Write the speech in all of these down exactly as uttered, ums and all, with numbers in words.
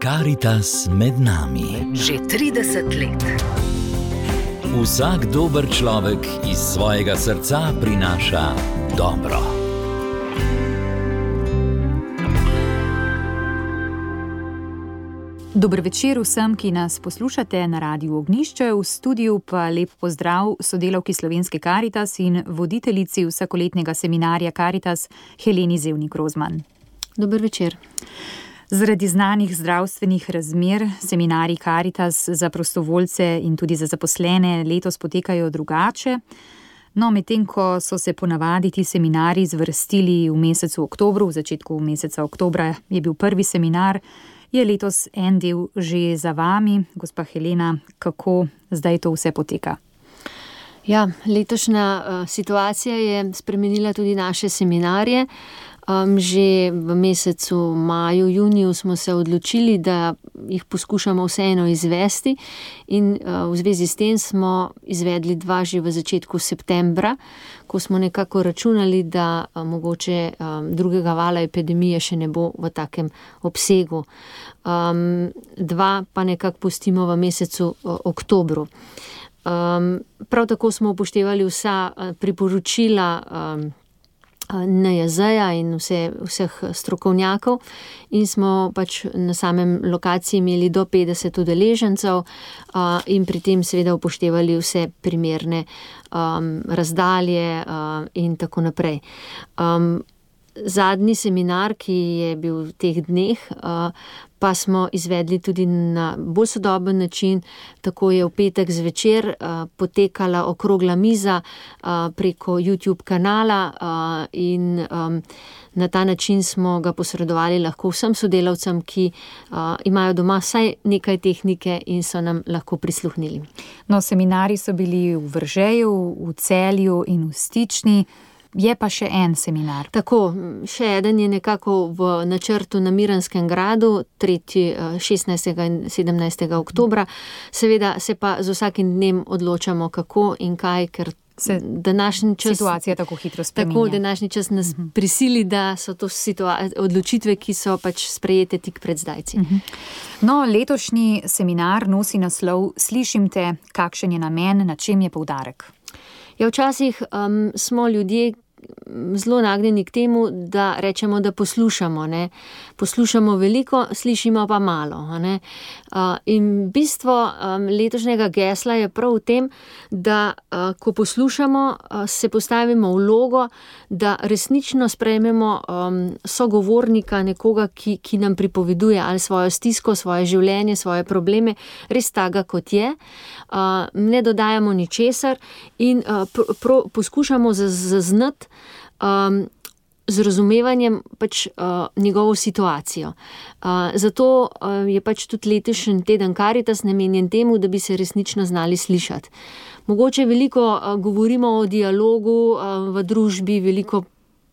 Karitas med nami. Že trideset let. Vsak dober človek iz svojega srca prinaša dobro. Dober večer vsem, ki nas poslušate na Radiu Ognjišče, v studiu pa lep pozdrav sodelavki Slovenske Karitas in voditeljici vsakoletnega seminarja Karitas Heleni Zevnik Rozman. Dober večer. Zaradi znanih zdravstvenih razmer seminarji Karitas za prostovoljce in tudi za zaposlene letos potekajo drugače. No, medtem ko so se ponavadi ti seminarji zvrstili v mesecu oktobru, v začetku meseca oktobra je bil prvi seminar, je letos en del že za vami. Gospa Helena, kako zdaj to vse poteka? Ja, letošnja uh, situacija je spremenila tudi naše seminarje. Um, že v mesecu maju, juniju smo se odločili, da jih poskušamo vseeno izvesti in uh, v zvezi s tem smo izvedli dva že v začetku septembra, ko smo nekako računali, da uh, mogoče um, drugega vala epidemije še ne bo v takem obsegu. Um, dva pa nekako pustimo v mesecu uh, oktobru. Um, prav tako smo upoštevali vsa uh, priporočila um, N J Z-ja in vse, vseh strokovnjakov in smo pač na samem lokaciji imeli do petdeset udeležencev uh, in pri tem seveda upoštevali vse primerne um, razdalje uh, in tako naprej. Um, zadnji seminar, ki je bil v teh dneh, uh, pa smo izvedli tudi na bolj sodoben način. Tako je v petek zvečer uh, potekala okrogla miza uh, preko YouTube kanala uh, in um, na ta način smo ga posredovali lahko vsem sodelavcem, ki uh, imajo doma vsaj nekaj tehnike in so nam lahko prisluhnili. No, seminari so bili v Vržeju, v Celju in v Stični. Je pa še en seminar. Tako, še eden je nekako v načrtu na Miranskem gradu, tretji, šestnajstega in sedemnajstega oktobra. Seveda se pa z vsakim dnem odločamo, kako in kaj, ker se današnji čas, situacija tako hitro spreminja. Tako, današnji čas nas uh-huh. prisili, da so to situa- odločitve, ki so pač sprejete tik pred zdajci. Uh-huh. No, letošnji seminar nosi naslov Slišim te, kakšen je namen, na čem je poudarek? Ja, včasih um, smo ljudje zelo nagnjeni k temu, da rečemo, da poslušamo. Ne? Poslušamo veliko, slišimo pa malo. Ne? Uh, in bistvo um, letošnjega gesla je prav v tem, da uh, ko poslušamo, uh, se postavimo v vlogo, da resnično sprejmemo um, sogovornika, nekoga, ki, ki nam pripoveduje ali svojo stisko, svoje življenje, svoje probleme, res taga, kot je. Uh, ne dodajamo ničesar in uh, pr- pr- poskušamo zaznati um, z razumevanjem pač uh, njegovo situacijo. Uh, zato uh, je pač tudi letošnji teden Karitas namenjen temu, da bi se resnično znali slišati. Mogoče veliko uh, govorimo o dialogu uh, v družbi, veliko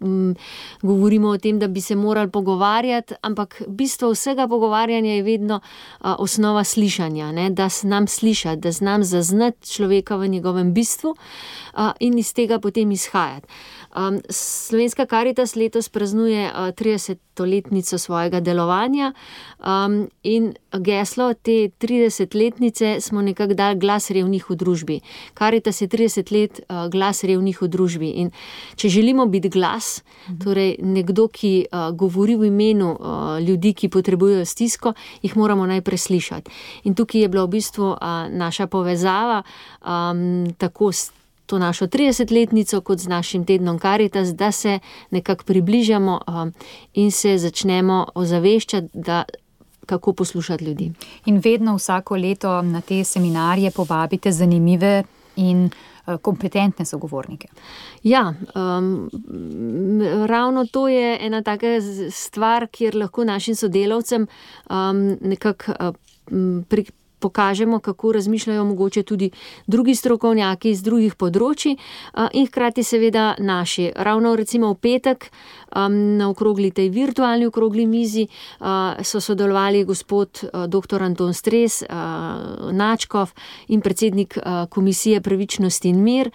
um, govorimo o tem, da bi se morali pogovarjati, ampak bistvo vsega pogovarjanja je vedno uh, osnova slišanja, ne? Da znam slišati, da znam zaznati človeka v njegovem bistvu uh, in iz tega potem izhajati. Um, Slovenska Karitas letos praznuje uh, tridesetletnico svojega delovanja um, in geslo te tridesetletnice smo nekako dali glas revnih v družbi. Karitas je trideset let uh, glas revnih v družbi in če želimo biti glas, torej nekdo, ki uh, govori v imenu uh, ljudi, ki potrebujejo stisko, jih moramo najprej slišati. In tukaj je bila v bistvu uh, naša povezava um, tako s to našo tridesetletnico kot z našim tednom Karitas, da se nekako približamo um, in se začnemo ozaveščati, da kako poslušati ljudi. In vedno vsako leto na te seminarje povabite zanimive in kompetentne sogovornike. Ja, um, ravno to je ena taka stvar, kjer lahko našim sodelavcem um, nekako um, pri pokažemo, kako razmišljajo mogoče tudi drugi strokovnjaki iz drugih področji in hkrati seveda naši. Ravno recimo v petek Na okrogli tej virtualni okrogli mizi so sodelovali gospod doktor Anton Stres, Načkov in predsednik Komisije Pravičnost in mir,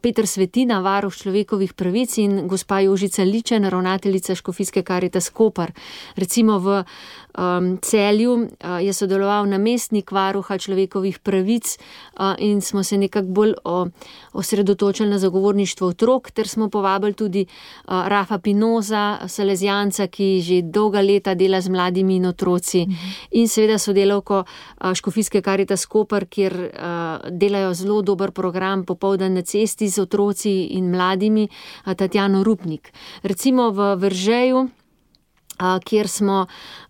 Peter Svetina, varuh človekovih pravic in gospa Jožica Ličen, ravnateljica Škofijske Karitas Koper. Recimo v Um, Celju uh, je sodeloval namestnik varuha človekovih pravic uh, in smo se nekako bolj o, osredotočili na zagovorništvo otrok, ter smo povabili tudi uh, Rafa Pinoza, Salezijanca, ki že dolga leta dela z mladimi in otroci, mm-hmm. in seveda sodelavko uh, Škofijske Karitas Koper, kjer uh, delajo zelo dober program popoldan na cesti z otroci in mladimi, uh, Tatjano Rupnik. Recimo v Veržeju, kjer smo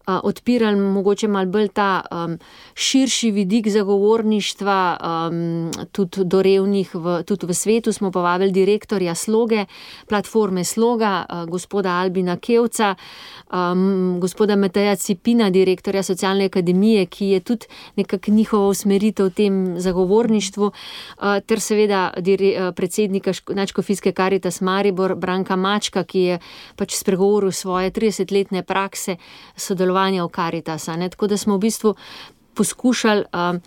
odpirali mogoče malo bolj ta um, širši vidik zagovorništva, um, tudi do revnih, v, tudi v svetu smo povabili direktorja Sloge, platforme Sloga, uh, gospoda Albina Kevca, um, gospoda Mateja Cipina, direktorja Socialne akademije, ki je tudi nekako njihova usmeritev v tem zagovorništvu, uh, ter seveda dire, uh, predsednika Nadškofijske Karitas Maribor, Branka Mačka, ki je pač spregovoril svoje tridesetletne prakse sodelovanja v Karitasa. Ne? Tako da smo v bistvu poskušali um,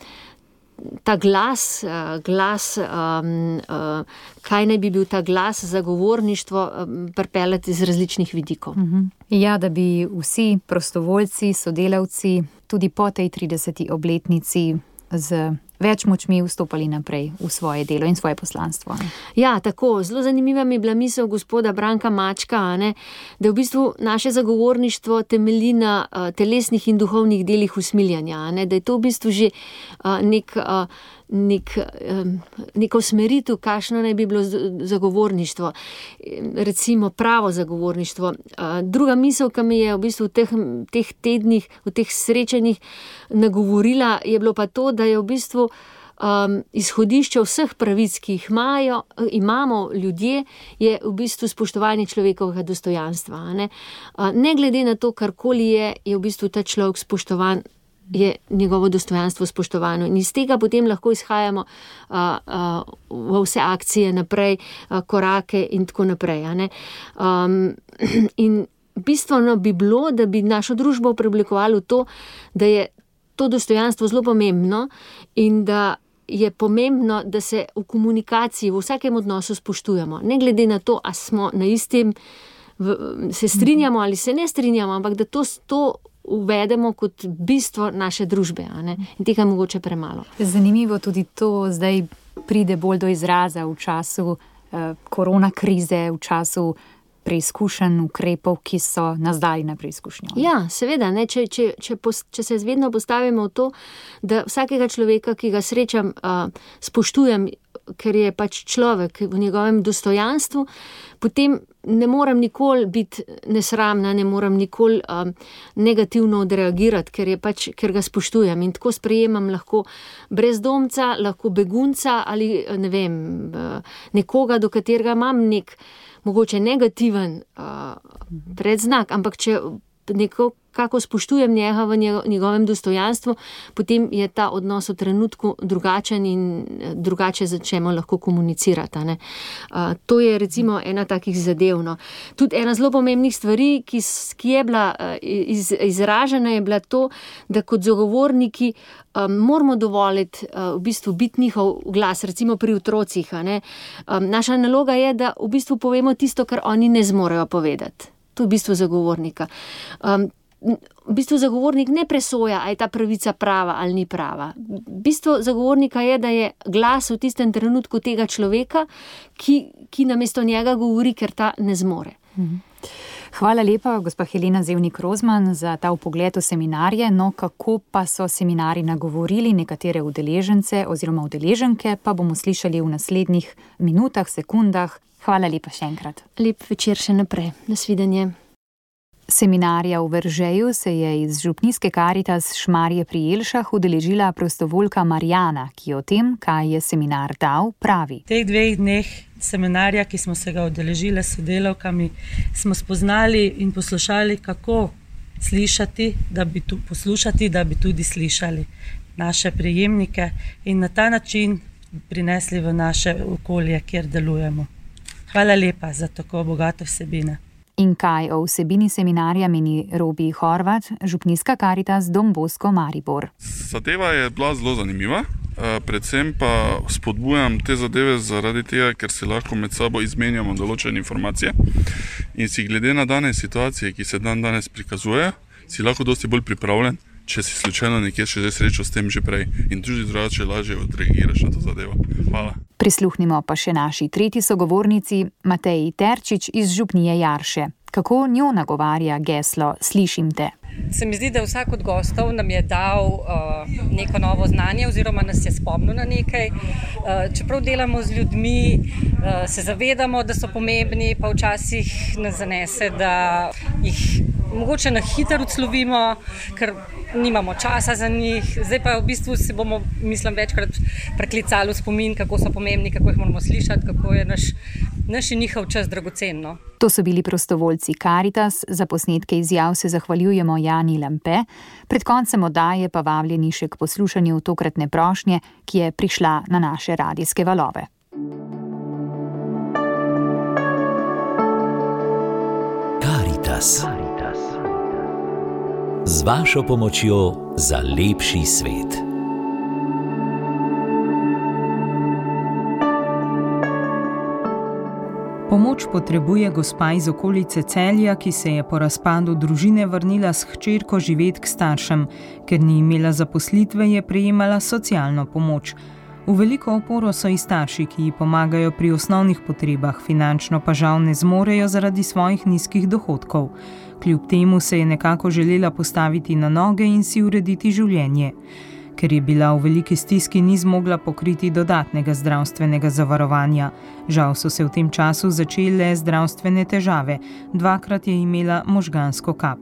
ta glas, uh, glas um, uh, kaj naj bi bil ta glas zagovorništvo, um, pripeljati iz različnih vidikov. Uh-huh. Ja, da bi vsi prostovoljci, sodelavci tudi po tej trideseti obletnici z več močmi vstopali naprej v svoje delo in svoje poslanstvo. Ne? Ja, tako. Zelo zanimiva mi je bila misel gospoda Branka Mačka, ne? Da v bistvu naše zagovorništvo temelji na uh, telesnih in duhovnih delih usmiljanja, ne? Da je to v bistvu že uh, nek, uh, nek, um, neko usmeritev, kakšno naj bi bilo zagovorništvo. Recimo pravo zagovorništvo. Uh, druga misel, ki mi je v bistvu v teh, teh tednih, v teh srečanjih nagovorila, je bilo pa to, da je v bistvu Um, izhodišče vseh pravic, ki jih imajo, imamo ljudje, je v bistvu spoštovanje človekovega dostojanstva. Ne? Uh, ne glede na to, karkoli je, je v bistvu ta človek spoštovan, je njegovo dostojanstvo spoštovano. In iz tega potem lahko izhajamo uh, uh, v vse akcije naprej, uh, korake in tako naprej. Ne? Um, in bistveno bi bilo, da bi našo družbo preoblikovali v to, da je to dostojanstvo zelo pomembno in da je pomembno, da se v komunikaciji, v vsakem odnosu spoštujemo. Ne glede na to, a smo na istem, v, se strinjamo ali se ne strinjamo, ampak da to, to uvedemo kot bistvo naše družbe. A ne? In tega mogoče premalo. Zanimivo tudi to zdaj pride bolj do izraza v času eh, korona krize, v času preizkušenj ukrepov, ki so nas dali na preizkušnjo. Ja, seveda, ne, če, če, če, pos, če se vedno postavimo v to, da vsakega človeka, ki ga srečam, uh, spoštujem, ker je pač človek v njegovem dostojanstvu, potem ne morem nikoli biti nesramna, ne morem nikoli um, negativno odreagirati, ker, je pač, ker ga spoštujem in tako sprejemam lahko brezdomca, lahko begunca ali ne vem, uh, nekoga, do katerega imam nek mogoče negativen uh, predznak, ampak če neko, kako spoštujem njega v njegovem dostojanstvu, potem je ta odnos v trenutku drugačen in drugače začnemo lahko komunicirati. Ne? Uh, to je recimo ena takih zadev. No. Tudi ena zelo pomembnih stvari, ki, ki je bila uh, iz, izražena, je bila to, da kot zagovorniki um, moramo dovoliti uh, v bistvu biti njihov glas, recimo pri otrocih. Ne? Um, naša naloga je, da v bistvu povemo tisto, kar oni ne zmorejo povedati. To je v bistvu zagovornika. Um, v bistvu zagovornik ne presoja, ali je ta pravica prava ali ni prava. Bistvo zagovornika je, da je glas v tistem trenutku tega človeka, ki, ki namesto njega govori, ker ta ne zmore. Hvala lepa, gospa Helena Zevnik Rozman, za ta vpogled v seminarje. No, kako pa so seminari nagovorili nekatere udeležence oziroma udeleženke, pa bomo slišali v naslednjih minutah, sekundah. Hvala lepa še enkrat. Lep večer še naprej. Nasvidenje. Seminarja v Veržeju se je iz Župnijske Karitas Šmarje pri Jelšah udeležila prostovoljka Marjana, ki o tem, kaj je seminar dal, pravi. V teh dveh dneh seminarja, ki smo se ga udeležili s sodelavkami, smo spoznali in poslušali, kako slišati, da bi tu, poslušati, da bi tudi slišali naše prejemnike in na ta način prinesli v naše okolje, kjer delujemo. Hvala lepa za tako bogato vsebine. In kaj o vsebini seminarja meni Robi Horvat, župnijska Karitas Don Bosco Maribor. Zadeva je bila zelo zanimiva, predvsem pa spodbujam te zadeve zaradi tega, ker se lahko med sabo izmenjamo določene informacije in si glede na dane situacije, ki se dan danes prikazuje, si lahko dosti bolj pripravljen, če si slučajno nekje še srečal s tem že prej in tudi drugače lažje odreagiraš na to zadevo. Hvala. Prisluhnimo pa še naši tretji sogovornici, Mateji Terčič iz župnije Jarše. Kako njo nagovarja geslo Slišim te? Se mi zdi, da vsak od gostov nam je dal uh, neko novo znanje oziroma nas je spomnil na nekaj. Uh, čeprav delamo z ljudmi, uh, se zavedamo, da so pomembni, pa včasih nas zanese, da jih mogoče na hitro odslovimo, ker nimamo časa za njih. Zdaj pa v bistvu se bomo, mislim, večkrat preklicali v spomin, kako so pomembni, kako jih moramo slišati, kako je naš, naš in njihov čas dragocenno. To so bili prostovoljci Karitas, za posnetke izjav se zahvaljujemo Jani Lampe, pred koncem oddaje pa vabljeni še k poslušanju tokratne prošnje, ki je prišla na naše radijske valove. Karitas. Z vašo pomočjo za lepši svet. Pomoč potrebuje gospa iz okolice Celja, ki se je po razpadu družine vrnila s hčerko živet k staršem. Ker ni imela zaposlitve, je prejemala socialno pomoč. V veliko oporo so i starši, ki ji pomagajo pri osnovnih potrebah, finančno pa žal ne zmorejo zaradi svojih nizkih dohodkov. Kljub temu se je nekako želela postaviti na noge in si urediti življenje. Ker je bila v veliki stiski, ni zmogla pokriti dodatnega zdravstvenega zavarovanja. Žal so se v tem času začele zdravstvene težave, dvakrat je imela možgansko kap.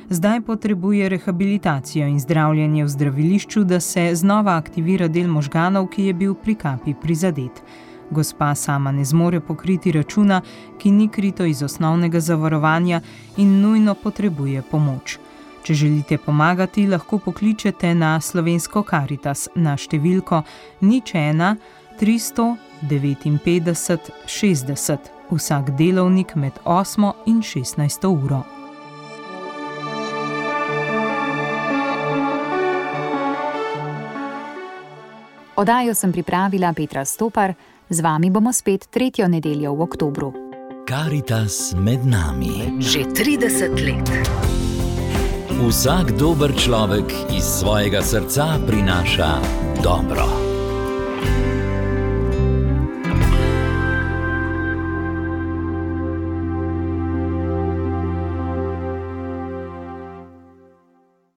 Zdaj potrebuje rehabilitacijo in zdravljenje v zdravilišču, da se znova aktivira del možganov, ki je bil pri kapi prizadet. Gospa sama ne zmore pokriti računa, ki ni krito iz osnovnega zavarovanja in nujno potrebuje pomoč. Če želite pomagati, lahko pokličete na Slovensko Karitas na številko nič ena tristo devetinpetdeset šestdeset, vsak delovnik med osmo in šestnajsto uro. Oddajo sem pripravila Petra Stopar, z vami bomo spet tretjo nedeljo v oktobru. Karitas med nami. Že trideset let. Vsak dober človek iz svojega srca prinaša dobro.